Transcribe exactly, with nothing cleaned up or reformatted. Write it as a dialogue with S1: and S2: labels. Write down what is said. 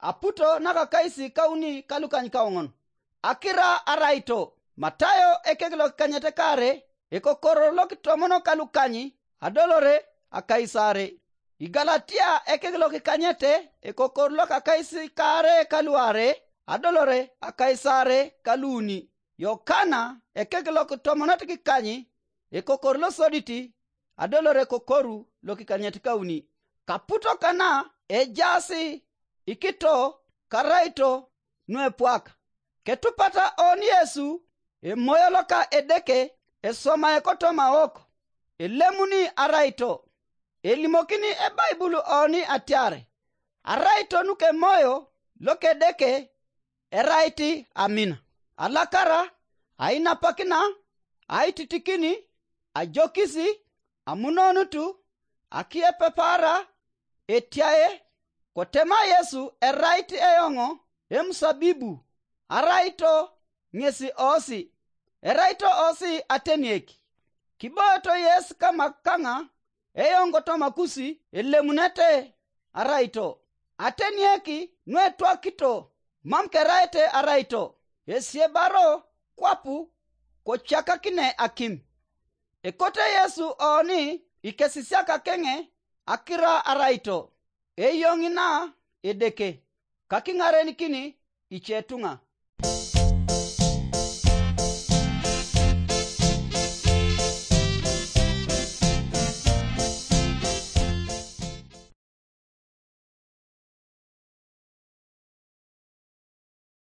S1: aputo naka kaisi kauni kalukany kaongon. Akira araito Matayo ekeglo kanyete kare ekokoro loki tomono kalukanyi adolore akaisare. Igalatia ekeglo kanyete ekokoro loka kaisi kare kaluare adolore akaisare kaluni. Yokana ekeglo tomono tikanyi ekokoro lo soditi adolore kokoru loki kanyete kauni. Kaputo kana ejasi ikito karaito nuepwaka. Ketupata oni Yesu e moyoloka edeke e soma ekotoma oko elemuni araito elimokini e Bible oni atiare araito nuke moyo loke deke eraiti amina alakara aina pakina aititikini ajokisi amunonutu akie pepara etiae kotema Yesu eraiti eyongo emsabibu araito ngesi osi eraito osi atenieki kiboto Yesu kama kanga eyongo to makusi elemunete araito atenieki nwetwa kito mamkeraite araito esiebaro kwapu kochaka kine akim ekote Yesu oni ikesisiaka kenge akira araito eyongina edeke kakingare nikini ichetunga